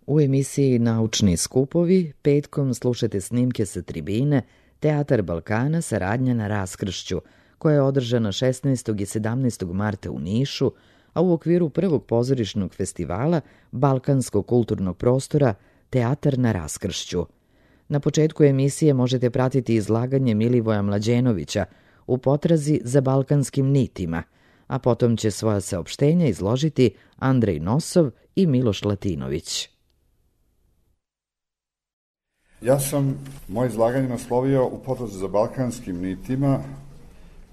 U emisiji Naučni skupovi petkom slušate snimke sa tribine Teatar Balkana saradnja na raskršću, koja je održana 16. i 17. marta u Nišu, a u okviru prvog pozorišnog festivala Balkanskog kulturnog prostora Teatar na raskršću. Na početku emisije možete pratiti izlaganje Milivoja Mlađenovića u potrazi za balkanskim nitima, a potom će svoja saopštenja izložiti Andrej Nosov i Miloš Latinović. Ja sam moje izlaganje naslovio u potrazi za balkanskim nitima,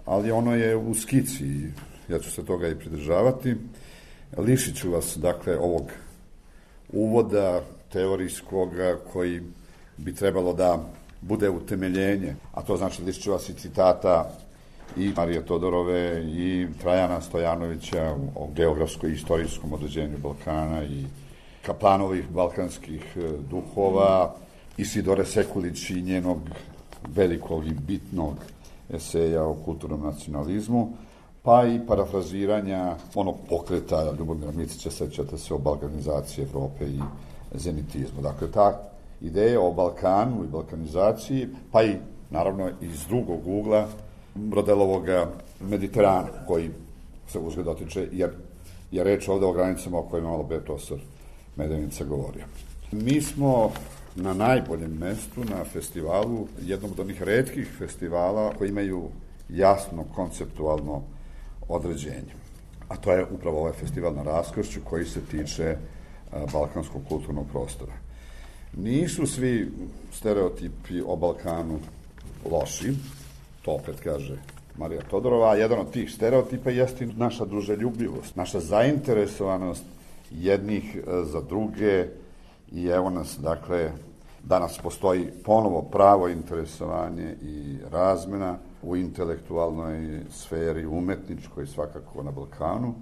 ali ono je u skici i ja ću se toga i pridržavati. Lišit ću vas, dakle, ovog uvoda teorijskoga koji bi trebalo da bude utemeljenje, a to znači lišit ću vas i citata i Marije Todorove i Trajana Stojanovića o geografskoj i istorijskom određenju Balkana i Kaplanovih balkanskih duhova, Isidore Sekulić i njenog velikog i bitnog eseja o kulturnom nacionalizmu, pa i parafraziranja onog pokreta Ljubomira Micića, sećate se, o balkanizaciji Evrope i zenitizmu. Dakle, ta ideja o Balkanu i balkanizaciji, pa i, naravno, iz drugog ugla Brodelovog Mediterana, koji se uzgled dotiče, jer je reč ovde o granicama o kojima malo pre profesor Medenica govorio. Mi smo na najboljem mestu na festivalu, jednom od onih retkih festivala koji imaju jasno konceptualno određenje. A to je upravo ovaj festival na raskršću koji se tiče balkanskog kulturnog prostora. Nisu svi stereotipi o Balkanu loši, to opet kaže Marija Todorova, a jedan od tih stereotipa jeste naša druželjubivost, naša zainteresovanost jednih za druge i evo nas, dakle, danas postoji ponovo pravo interesovanje i razmena u intelektualnoj sferi, umetničkoj svakako na Balkanu,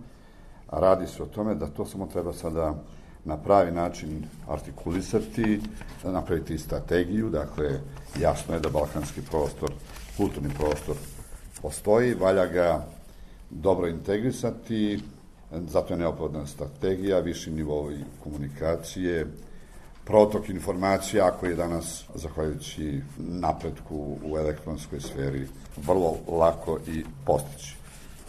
a radi se o tome da to samo treba sada na pravi način artikulisati, napraviti strategiju, dakle, jasno je da balkanski prostor, kulturni prostor postoji, valja ga dobro integrisati, zato je neophodna strategija, viši nivoi komunikacije, protok informacija koji je danas, zahvaljujući napretku u elektronskoj sferi, vrlo lako i postići.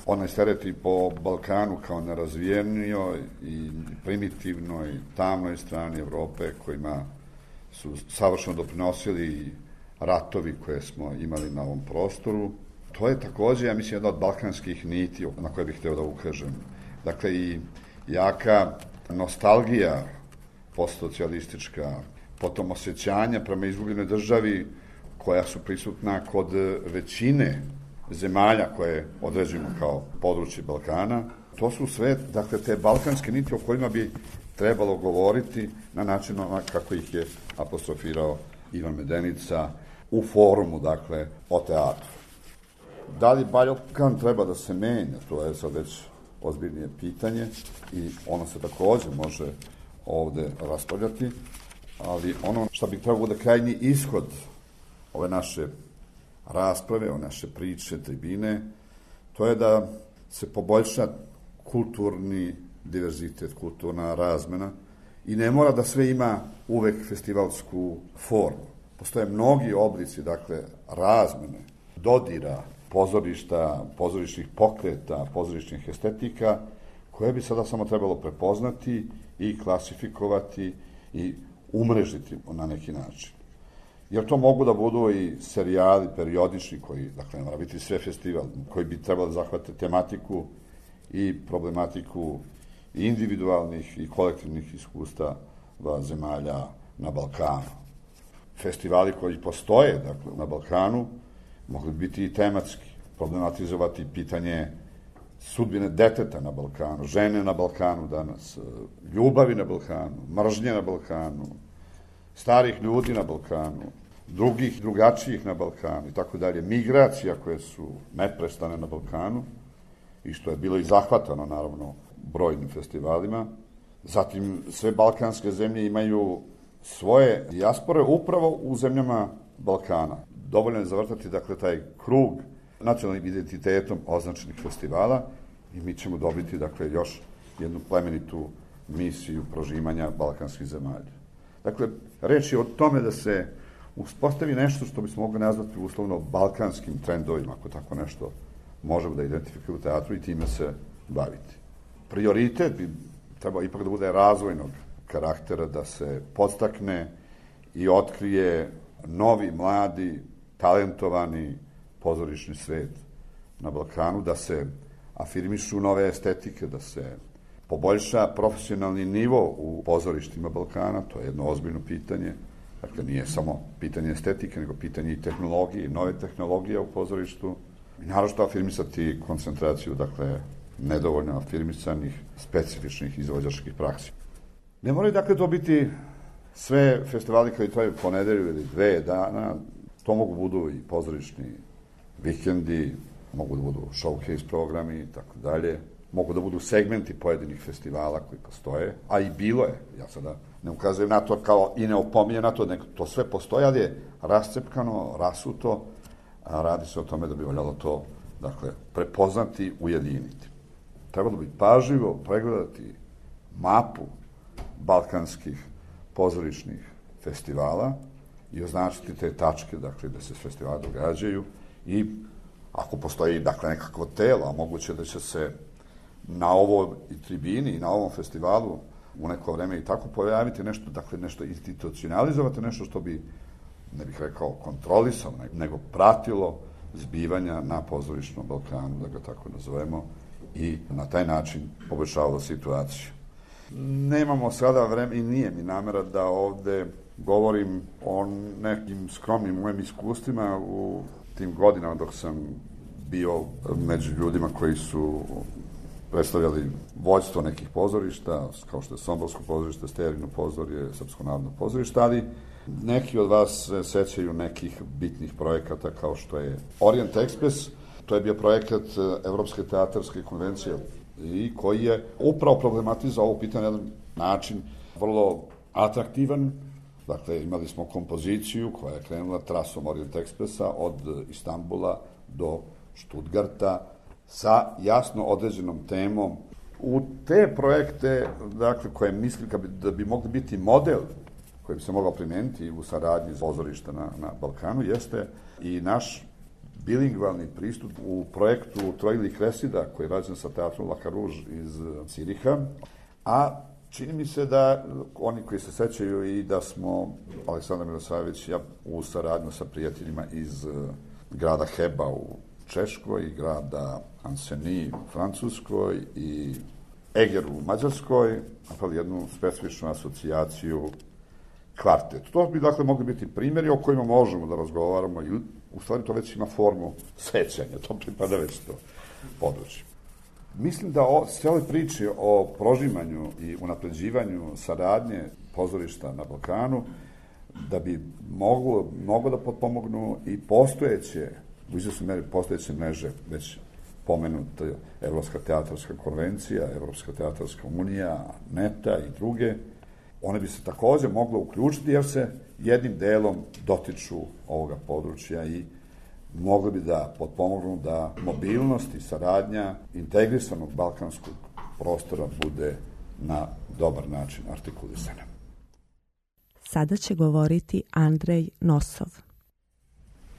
Onaj stereotip po Balkanu kao nerazvijenijoj i primitivnoj, tamnoj strani Evrope, kojima su savršeno doprinosili ratovi koje smo imali na ovom prostoru, to je takođe, ja mislim, jedna od balkanskih niti na koje bih hteo da ukažem. Dakle, i jaka nostalgija postsocijalistička, potom osjećanja prema izgubljenoj državi koja su prisutna kod većine zemalja koje određujemo kao područje Balkana. To su sve, dakle, te balkanske niti o kojima bi trebalo govoriti na način kako ih je apostrofirao Ivan Medenica u forumu, dakle, o teatru. Da li Balkan treba da se menja, to je sad već ozbiljnije pitanje i ono se takođe može ovde raspravljati, ali ono što bi trebalo da krajnji ishod ove naše rasprave, ove naše priče, tribine, to je da se poboljša kulturni diverzitet, kulturna razmena i ne mora da sve ima uvek festivalsku formu. Postoje mnogi oblici, dakle, razmene, dodira, pozorišta, pozorišnih pokreta, pozorišnih estetika, koje bi sada samo trebalo prepoznati i klasifikovati i umrežiti na neki način. Jer to mogu da budu i serijali, periodični, koji, dakle, ne mora biti sve festival, koji bi trebalo da zahvate tematiku i problematiku individualnih i kolektivnih iskustava zemalja na Balkanu. Festivali koji postoje, dakle, na Balkanu, mogli biti i tematski, problematizovati pitanje sudbine deteta na Balkanu, žene na Balkanu danas, ljubavi na Balkanu, mržnje na Balkanu, starih ljudi na Balkanu, drugih, drugačijih na Balkanu i tako dalje, migracija koje su neprestane na Balkanu i što je bilo i zahvatano, naravno, brojnim festivalima. Zatim, sve balkanske zemlje imaju svoje dijaspore upravo u zemljama Balkana. Dovoljno je zavrtati, dakle, taj krug nacionalnim identitetom označenih festivala i mi ćemo dobiti, dakle, još jednu plemenitu misiju prožimanja balkanskih zemalja. Dakle, reč je o tome da se uspostavi nešto što bismo mogli nazvati uslovno balkanskim trendovima, ako tako nešto možemo da identifikujemo u teatru i time se baviti. Prioritet bi trebao ipak da bude razvojnog karaktera, da se podstakne i otkrije novi, mladi, talentovani pozorišni svet na Balkanu, da se afirmišu nove estetike, da se poboljša profesionalni nivo u pozorištima Balkana, to je jedno ozbiljno pitanje. Dakle, nije samo pitanje estetike, nego pitanje i tehnologije, nove tehnologije u pozorištu. I naravno afirmisati koncentraciju, dakle, nedovoljno afirmisanih, specifičnih izvođačkih praksi. Ne moraju, dakle, to biti sve festivali koji traju po nedelju ili 2 dana. To mogu budu i pozorišni vikendi, mogu da budu showcase programi i tako dalje. Mogu da budu segmenti pojedinih festivala koji postoje, a i bilo je. Ja sada ne ukazujem na to kao i ne opominjem na to, nego to sve postoje, ali je rascepkano, rasuto, a radi se o tome da bi valjalo to, dakle, prepoznati, ujediniti. Trebalo bi pažljivo pregledati mapu balkanskih pozorišnih festivala i označiti te tačke, dakle, da se festivali događaju i ako postoji, dakle, nekakvo telo, a moguće da će se na ovoj tribini i na ovom festivalu u neko vreme i tako pojaviti nešto, dakle, nešto institucionalizovati, nešto što bi, ne bih rekao kontrolisano, nego pratilo zbivanja na pozorišnom Balkanu, da ga tako nazovemo, i na taj način poboljšavalo situaciju. Nemamo sada vreme i nije mi namera da ovde govorim o nekim skromnim mojim iskustvima u tim godinama dok sam bio među ljudima koji su predstavljali vođstvo nekih pozorišta, kao što je Somborsko pozorište, Stejarino pozorje, Srpsko narodno pozorište, ali neki od vas se sećaju nekih bitnih projekata kao što je Orient Express. To je bio projekat Evropske teatarske konvencije i koji je upravo problematizao ovo pitanje na jedan način vrlo atraktivan. Dakle, imali smo kompoziciju koja je krenula trasom Orient Expressa od Istanbula do Stuttgarta sa jasno određenom temom. U te projekte, dakle, koje mislim da bi mogli biti model koji bi se mogao primijeniti u saradnji pozorišta na Balkanu, jeste i naš bilingvalni pristup u projektu Trojili Kresida, koji je rađen sa teatrom La Carouge iz Ciriha, a čini mi se da oni koji se sećaju i da smo, Aleksandar Milosavljević i ja, u saradnju sa prijateljima iz grada Heba u Češkoj i grada Anseni u Francuskoj i Eger u Mađarskoj, napravili jednu specifičnu asocijaciju kvartet. To bi, dakle, mogli biti primjeri o kojima možemo da razgovaramo i u stvari to već ima formu sećanja, to pripada već to područje. Mislim da sve ove priče o prožimanju i unapređivanju saradnje pozorišta na Balkanu, da bi moglo da potpomognu i postojeće, u izvesnoj meri postojeće mreže, već pomenuta Evropska teatarska konvencija, Evropska teatarska unija, NETA i druge, one bi se takođe mogle uključiti jer se jednim delom dotiču ovoga područja i mogli bi da potpomognu da mobilnost i saradnja integrisanog balkanskog prostora bude na dobar način artikulisana. Sada će govoriti Andrej Nosov.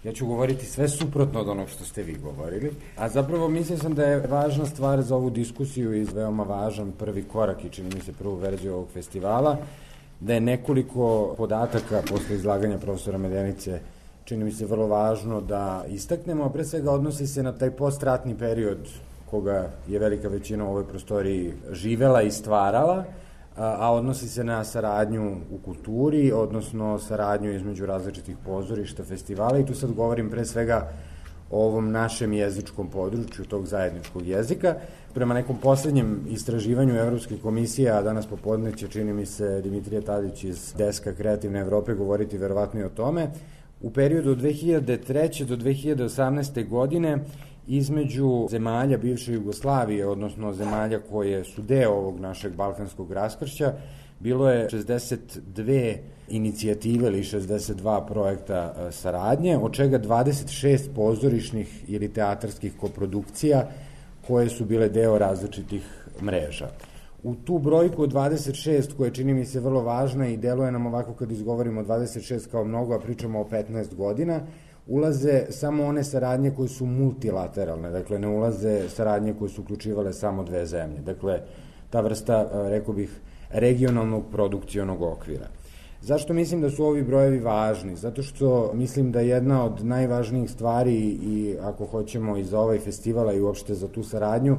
Ja ću govoriti sve suprotno od onog što ste vi govorili, a zapravo mislio sam da je važna stvar za ovu diskusiju i veoma važan prvi korak i čini mi se prvu verziju ovog festivala, da je nekoliko podataka posle izlaganja profesora Medenice čini mi se vrlo važno da istaknemo, a pre svega odnosi se na taj postratni period koga je velika većina u ovoj prostoriji živela i stvarala, a odnosi se na saradnju u kulturi, odnosno saradnju između različitih pozorišta, festivala i tu sad govorim pre svega o ovom našem jezičkom području, tog zajedničkog jezika. Prema nekom poslednjem istraživanju Evropske komisije, a danas popodne će, čini mi se, Dimitrije Tadić iz Deska Kreativne Evrope govoriti verovatno i o tome, u periodu od 2003. do 2018. godine između zemalja bivše Jugoslavije, odnosno zemalja koje su deo ovog našeg balkanskog raskršća, bilo je 62 inicijative ili 62 projekta saradnje, od čega 26 pozorišnih ili teatarskih koprodukcija koje su bile deo različitih mreža. U tu brojku od 26, koja čini mi se vrlo važna i deluje nam ovako kad izgovorimo 26 kao mnogo, a pričamo o 15 godina, ulaze samo one saradnje koje su multilateralne, dakle ne ulaze saradnje koje su uključivale samo dve zemlje. Dakle, ta vrsta, rekao bih, regionalnog produkcionog okvira. Zašto mislim da su ovi brojevi važni? Zato što mislim da jedna od najvažnijih stvari i ako hoćemo i za ovaj festival i uopšte za tu saradnju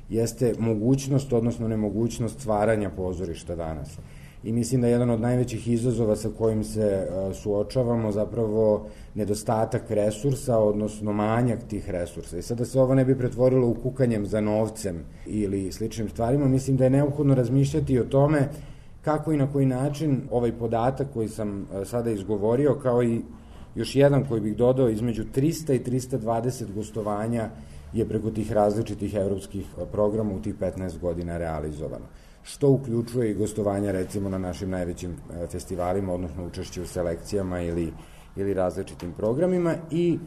jeste mogućnost, odnosno nemogućnost stvaranja pozorišta danas. I mislim da je jedan od najvećih izazova sa kojim se suočavamo zapravo nedostatak resursa, odnosno manjak tih resursa. I sada se ovo ne bi pretvorilo u kukanjem za novcem ili sličnim stvarima, mislim da je neophodno razmišljati o tome kako i na koji način ovaj podatak koji sam sada izgovorio, kao i još jedan koji bih dodao, između 300 i 320 gostovanja je preko tih različitih evropskih programa u tih 15 godina realizovano. Što uključuje i gostovanja recimo na našim najvećim festivalima, odnosno učešće u selekcijama ili različitim programima. I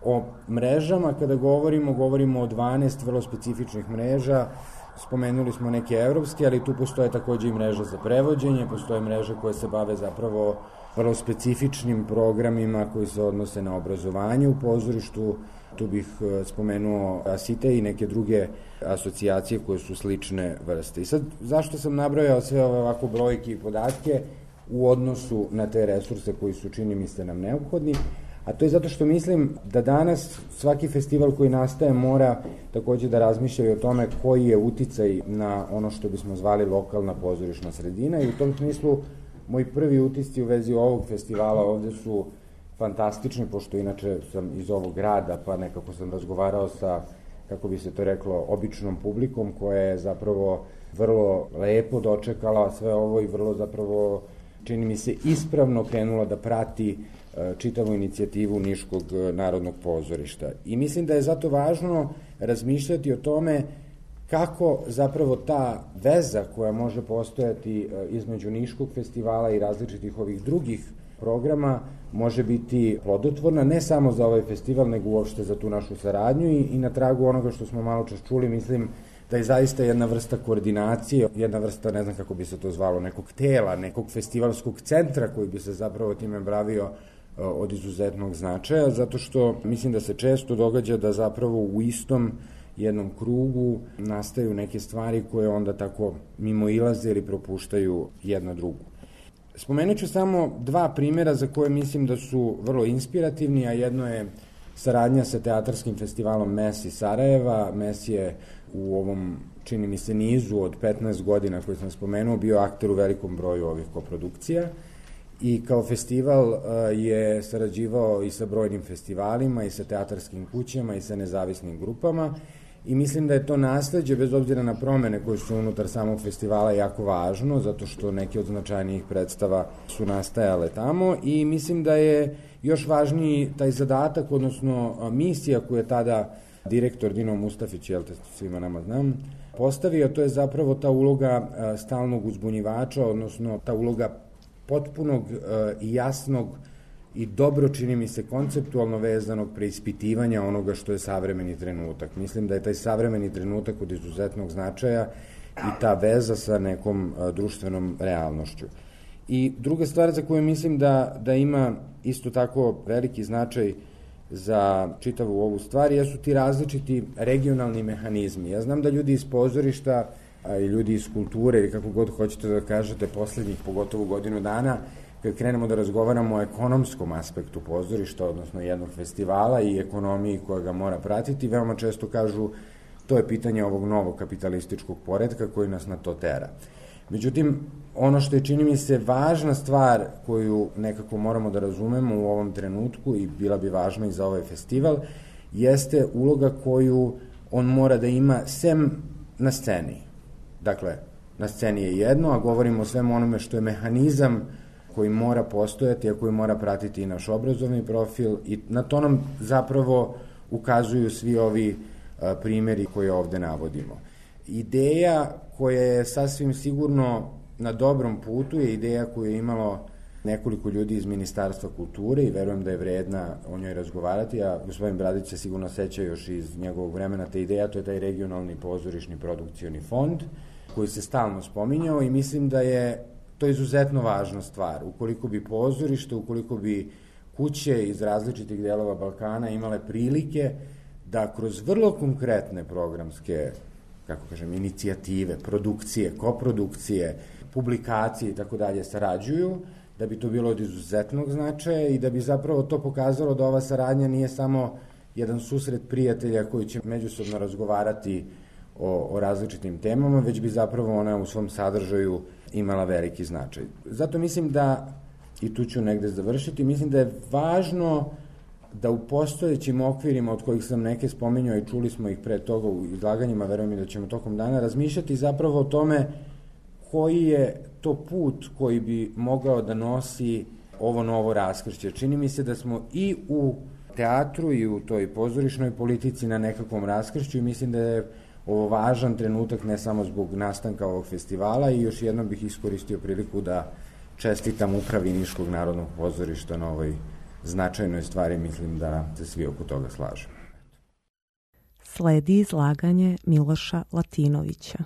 o mrežama kada govorimo o 12 vrlo specifičnih mreža. Spomenuli smo neke evropske, ali tu postoje takođe i mreža za prevođenje, postoje mreže koje se bave zapravo vrlo specifičnim programima koji se odnose na obrazovanje u pozorištu. Tu bih spomenuo ASITE i neke druge asocijacije koje su slične vrste. I sad, zašto sam nabrojao sve ove ovako brojke i podatke u odnosu na te resurse koji su, čini mi se, nam neophodni? A to je zato što mislim da danas svaki festival koji nastaje mora takođe da razmišlja i o tome koji je uticaj na ono što bismo zvali lokalna pozorišna sredina, i u tom smislu moji prvi utisci u vezi ovog festivala ovde su fantastični, pošto inače sam iz ovog grada, pa nekako sam razgovarao sa, kako bi se to reklo, običnom publikom koja je zapravo vrlo lepo dočekala sve ovo i vrlo zapravo, čini mi se, ispravno krenula da prati čitavu inicijativu Niškog narodnog pozorišta. I mislim da je zato važno razmišljati o tome kako zapravo ta veza koja može postojati između Niškog festivala i različitih ovih drugih programa može biti plodotvorna, ne samo za ovaj festival, nego uopšte za tu našu saradnju i na tragu onoga što smo malo čas čuli, mislim da je zaista jedna vrsta koordinacije, jedna vrsta, ne znam kako bi se to zvalo, nekog tela, nekog festivalskog centra koji bi se zapravo time bavio od izuzetnog značaja, zato što mislim da se često događa da zapravo u istom jednom krugu nastaju neke stvari koje onda tako mimoilaze ili propuštaju jedna drugu. Spomenut ću samo dva primjera za koje mislim da su vrlo inspirativni, a jedno je saradnja sa teatarskim festivalom MES iz Sarajeva. MES je u ovom, čini mi se, nizu od 15 godina koji sam spomenuo bio akter u velikom broju ovih koprodukcija i kao festival je sarađivao i sa brojnim festivalima i sa teatarskim kućama i sa nezavisnim grupama i mislim da je to nasleđe, bez obzira na promene koje su unutar samog festivala, jako važno, zato što neke od značajnijih predstava su nastajale tamo i mislim da je još važniji taj zadatak, odnosno misija koju je tada direktor Dino Mustafić, jel te svima nama znam, postavio, to je zapravo ta uloga stalnog uzbunjivača, odnosno ta uloga potpunog i jasnog i dobro, čini mi se, konceptualno vezanog preispitivanja onoga što je savremeni trenutak. Mislim da je taj savremeni trenutak od izuzetnog značaja i ta veza sa nekom društvenom realnošću. I druga stvar za koju mislim da ima isto tako veliki značaj za čitavu ovu stvar jesu ti različiti regionalni mehanizmi. Ja znam da ljudi iz pozorišta i ljudi iz kulture ili kako god hoćete da kažete poslednjih pogotovo godinu dana, kad krenemo da razgovaramo o ekonomskom aspektu pozorišta, odnosno jednog festivala i ekonomiji koja ga mora pratiti, veoma često kažu to je pitanje ovog novog kapitalističkog poretka koji nas na to tera. Međutim, ono što je, čini mi se, važna stvar koju nekako moramo da razumemo u ovom trenutku i bila bi važna i za ovaj festival, jeste uloga koju on mora da ima sem na sceni. Dakle, na sceni je jedno, a govorimo o svemu onome što je mehanizam koji mora postojati, a koji mora pratiti i naš obrazovni profil i na to nam zapravo ukazuju svi ovi primjeri koje ovde navodimo. Ideja koja je sasvim sigurno na dobrom putu je ideja koju je imalo nekoliko ljudi iz Ministarstva kulture i verujem da je vredna o njoj razgovarati, a gospodin Bradić se sigurno seća još iz njegovog vremena te ideja, to je taj regionalni pozorišni produkcioni fond koji se stalno spominjao i mislim da je to izuzetno važna stvar. Ukoliko bi pozorište, ukoliko bi kuće iz različitih delova Balkana imale prilike da kroz vrlo konkretne programske, kako kažem, inicijative, produkcije, koprodukcije, publikacije i tako dalje sarađuju, da bi to bilo od izuzetnog značaja i da bi zapravo to pokazalo da ova saradnja nije samo jedan susret prijatelja koji će međusobno razgovarati o različitim temama, već bi zapravo ona u svom sadržaju imala veliki značaj. Zato mislim da, i tu ću negde završiti, mislim da je važno da u postojećim okvirima od kojih sam neke spominjao i čuli smo ih pre toga u izlaganjima, verujem i da ćemo tokom dana razmišljati zapravo o tome koji je to put koji bi mogao da nosi ovo novo raskršće. Čini mi se da smo i u teatru i u toj pozorišnoj politici na nekakvom raskršću i mislim da je ovo važan trenutak ne samo zbog nastanka ovog festivala i još jednom bih iskoristio priliku da čestitam upravi Niškog narodnog pozorišta na ovoj značajnoj stvari, mislim da se svi oko toga slažemo. Sledi izlaganje Miloša Latinovića.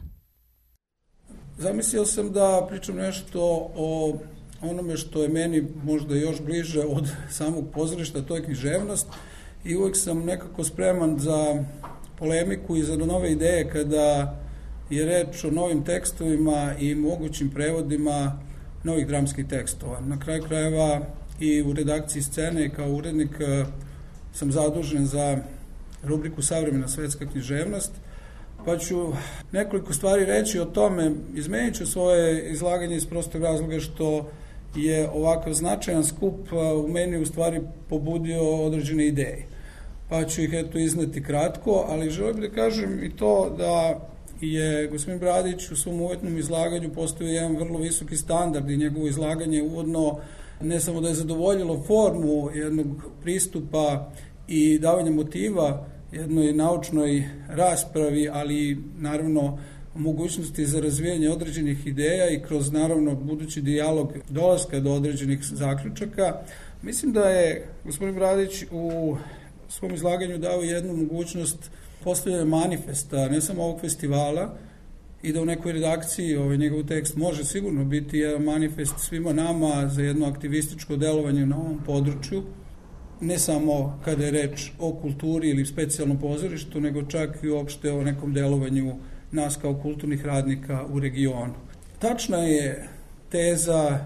Zamislio sam da pričam nešto o onome što je meni možda još bliže od samog pozorišta, to je književnost i uvek sam nekako spreman za polemiku i za nove ideje kada je reč o novim tekstovima i mogućim prevodima novih dramskih tekstova. Na kraju krajeva i u redakciji Scene kao urednik sam zadužen za rubriku Savremena svetska književnost, pa ću nekoliko stvari reći o tome. Izmenit ću svoje izlaganje iz prostog razloga što je ovakav značajan skup u meni u stvari pobudio određene ideje. Pa ću ih izneti kratko, ali želim da kažem i to da je gospodin Bradić u svom uvetnom izlaganju postavio jedan vrlo visoki standard i njegovo izlaganje uvodno ne samo da je zadovoljilo formu jednog pristupa i davanja motiva jednoj naučnoj raspravi, ali naravno mogućnosti za razvijanje određenih ideja i kroz naravno budući dijalog dolaska do određenih zaključaka. Mislim da je gospodin Bradić u svom izlaganju dao jednu mogućnost postavljanja manifesta, ne samo ovog festivala, i da u nekoj redakciji njegov tekst može sigurno biti jedan manifest svima nama za jedno aktivističko delovanje na ovom području, ne samo kada je reč o kulturi ili specijalnom pozorištu, nego čak i uopšte o nekom delovanju nas kao kulturnih radnika u regionu. Tačna je teza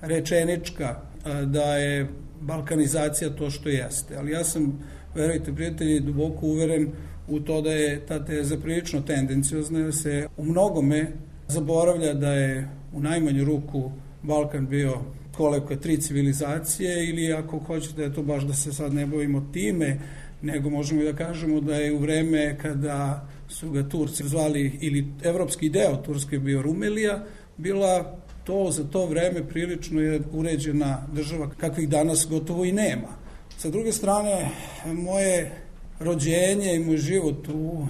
rečenička da je balkanizacija to što jeste, ali ja sam, verujte prijatelji, duboko uveren u to da je ta teza prilično tendenciozna, da se u mnogome zaboravlja da je u najmanju ruku Balkan bio kolevka 3 civilizacije, ili ako hoćete da je to baš da se sad ne bavimo time, nego možemo i da kažemo da je u vreme kada su ga Turci zvali, ili evropski deo Turske bio Rumelija, bila to za to vreme prilično je uređena država kakvih danas gotovo i nema. Sa druge strane, moje rođenje i moj život u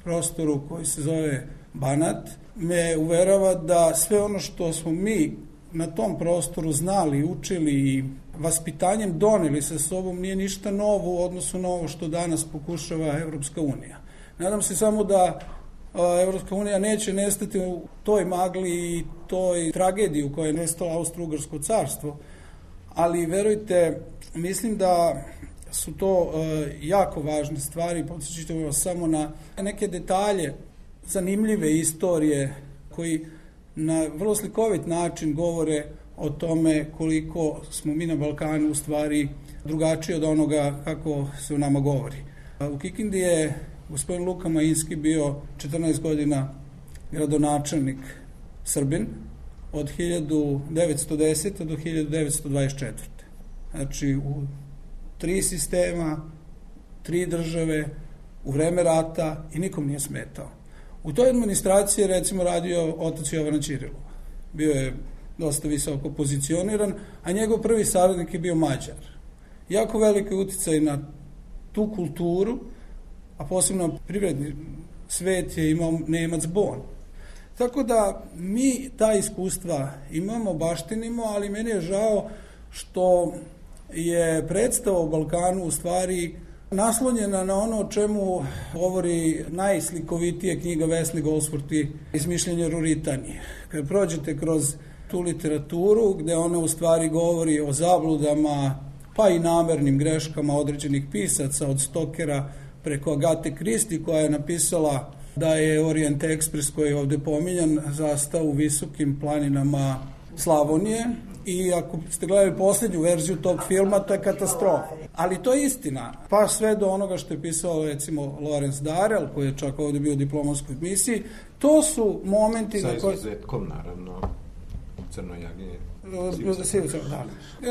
prostoru koji se zove Banat me uverava da sve ono što smo mi na tom prostoru znali, učili i vaspitanjem doneli sa sobom nije ništa novo u odnosu na ovo što danas pokušava Evropska unija. Nadam se samo da Evropska unija neće nestati u toj magli i toj tragediji u kojoj je nestalo Austro-Ugarsko carstvo, ali verujte, mislim da su to jako važne stvari. Podsjećate vas samo na neke detalje zanimljive istorije koji na vrlo slikovit način govore o tome koliko smo mi na Balkanu u stvari drugačiji od onoga kako se u nama govori. U Kikindi je gospodin Luka Majinski bio 14 godina gradonačelnik Srbin od 1910. do 1924. Znači u 3 sistema, 3 države, u vreme rata i nikom nije smetao. U toj administraciji je recimo radio otac Jovana Ćirilova. Bio je dosta visoko pozicioniran, a njegov prvi saradnik je bio Mađar. Jako veliki uticaj na tu kulturu, a posebno privredni svet je imao Nemac Bon. Tako da mi ta iskustva imamo, baštinimo, ali meni je žao što je predstava o Balkanu u stvari naslonjena na ono o čemu govori najslikovitije knjiga Vesne Goldsworthy Izmišljenje Ruritanije. Kad prođete kroz tu literaturu, gde ona u stvari govori o zabludama, pa i namernim greškama određenih pisaca, od Stokera preko Agate Kristi, koja je napisala da je Orient Express, koji je ovde pominjan, zastao u visokim planinama Slavonije, i ako ste gledali poslednju verziju tog filma, to je katastrofa. Ali to je istina. Pa sve do onoga što je pisao, recimo, Lawrence Darrell, koji je čak ovde bio u diplomatskoj misiji, to su momenti... Sa izuzetkom, naravno, Crnoj Jagi.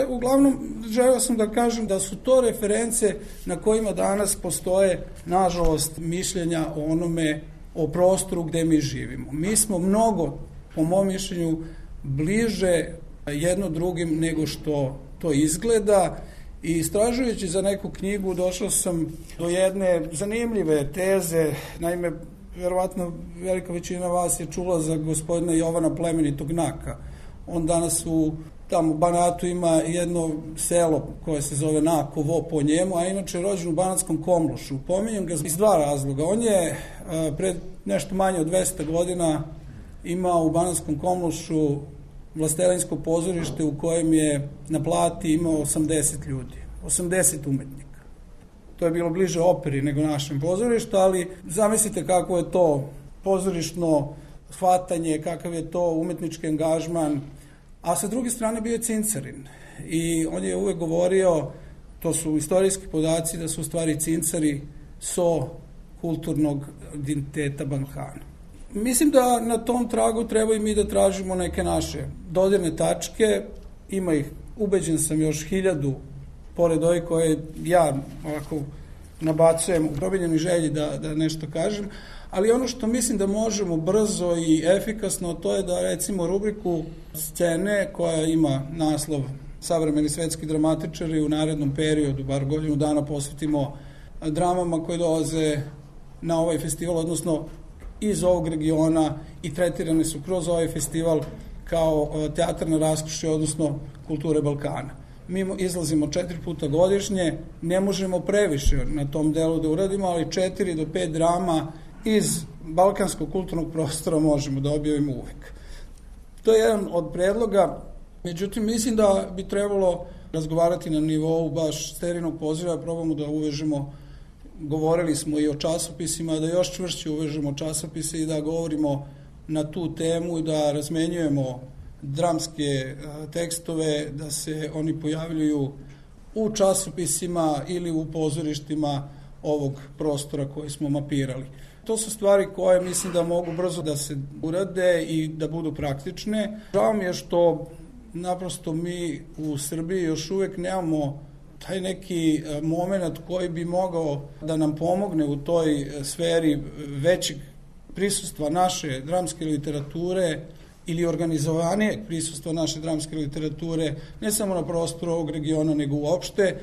Uglavnom, želeo sam da kažem da su to reference na kojima danas postoje, nažalost, mišljenja o onome, o prostoru gde mi živimo. Mi smo mnogo, po mom mišljenju, bliže jedno drugim nego što to izgleda, i istražujući za neku knjigu došao sam do jedne zanimljive teze. Naime, verovatno velika većina vas je čula za gospodina Jovana Plemenitog Naka. On danas tamo u Banatu ima jedno selo koje se zove Nakovo po njemu, a inače je rođen u Banatskom Komlošu. Pominjem ga iz dva razloga. On je pred nešto manje od 200 godina imao u Banatskom Komlošu vlastelinsko pozorište u kojem je na plati imao 80 ljudi, 80 umetnika. To je bilo bliže operi nego našem pozorištu, ali zamislite kako je to pozorišno shvatanje, kakav je to umetnički angažman, a sa druge strane bio je cincarin. I on je uvek govorio, to su istorijski podaci, da su u stvari cincari so kulturnog identiteta Balkana. Mislim da na tom tragu treba i mi da tražimo neke naše dodirne tačke. Ima ih, ubeđen sam, još 1000, pored ovih koje ja ovako nabacujem u probinjenoj želji da nešto kažem, ali ono što mislim da možemo brzo i efikasno, to je da recimo rubriku scene koja ima naslov Savremeni svetski dramatičari u narednom periodu, bar godinu dana, posvetimo dramama koje dolaze na ovaj festival, odnosno iz ovog regiona, i tretirane su kroz ovaj festival kao teatar na raskršću, odnosno kulture Balkana. Mi izlazimo 4 puta godišnje, ne možemo previše na tom delu da uradimo, ali 4 do 5 drama iz balkanskog kulturnog prostora možemo da objavimo uvek. To je jedan od predloga, međutim mislim da bi trebalo razgovarati na nivou baš sterilnog poziva, probamo da uvežemo. Govorili smo i o časopisima, da još čvršće uvežemo časopise i da govorimo na tu temu i da razmenjujemo dramske tekstove, da se oni pojavljuju u časopisima ili u pozorištima ovog prostora koji smo mapirali. To su stvari koje mislim da mogu brzo da se urade i da budu praktične. Žao mi je što naprosto mi u Srbiji još uvek nemamo taj neki moment koji bi mogao da nam pomogne u toj sferi većeg prisustva naše dramske literature ili organizovanijeg prisustva naše dramske literature, ne samo na prostoru ovog regiona, nego uopšte.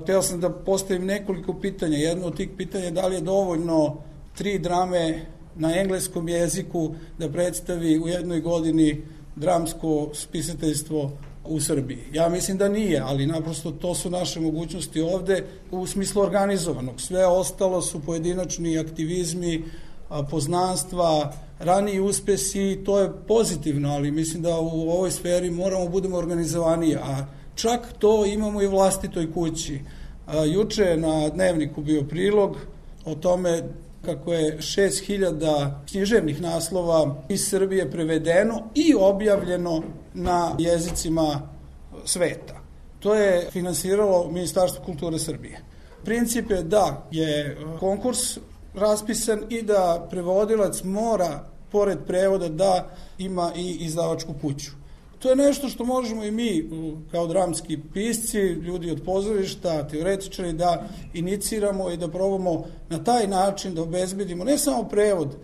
Hteo sam da postavim nekoliko pitanja. Jedno od tih pitanja je da li je dovoljno 3 drame na engleskom jeziku da predstavi u jednoj godini dramsko spisateljstvo u Srbiji. Ja mislim da nije, ali naprosto to su naše mogućnosti ovde u smislu organizovanog. Sve ostalo su pojedinačni aktivizmi, poznanstva, raniji uspesi, to je pozitivno, ali mislim da u ovoj sferi moramo budemo organizovaniji, a čak to imamo i u vlastitoj kući. Juče je na Dnevniku bio prilog o tome kako je 6000 književnih naslova iz Srbije prevedeno i objavljeno na jezicima sveta. To je finansiralo Ministarstvo kulture Srbije. Princip je da je konkurs raspisan i da prevodilac mora, pored prevoda, da ima i izdavačku kuću. To je nešto što možemo i mi, kao dramski pisci, ljudi od pozorišta, teoretičari, da iniciramo i da probamo na taj način da obezbedimo ne samo prevod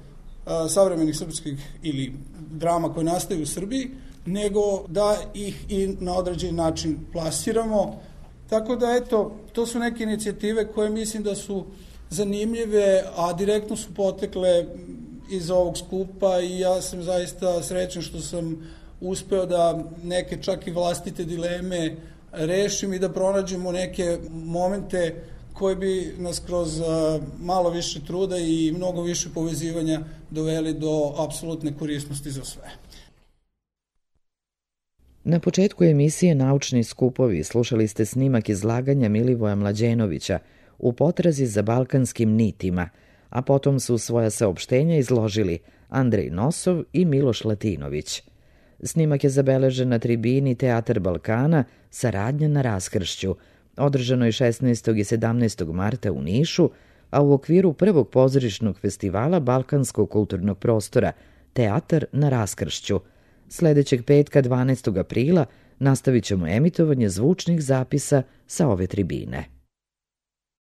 savremenih srpskih ili drama koje nastaju u Srbiji, nego da ih i na određeni način plasiramo. Tako da, eto, to su neke inicijative koje mislim da su zanimljive, a direktno su potekle iz ovog skupa i ja sam zaista srećan što sam uspeo da neke čak i vlastite dileme rešim i da pronađemo neke momente koji bi nas kroz malo više truda i mnogo više povezivanja doveli do apsolutne korisnosti za sve. Na početku emisije Naučni skupovi slušali ste snimak izlaganja Milivoja Mlađenovića U potrazi za balkanskim nitima, a potom su svoja saopštenja izložili Andrej Nosov i Miloš Latinović. Snimak je zabeležen na tribini Teatar Balkana Saradnja na raskršću, održanoj 16. i 17. marta u Nišu, a u okviru prvog pozorišnog festivala Balkanskog kulturnog prostora Teatar na raskršću. Sledećeg petka 12. aprila nastavit ćemo emitovanje zvučnih zapisa sa ove tribine.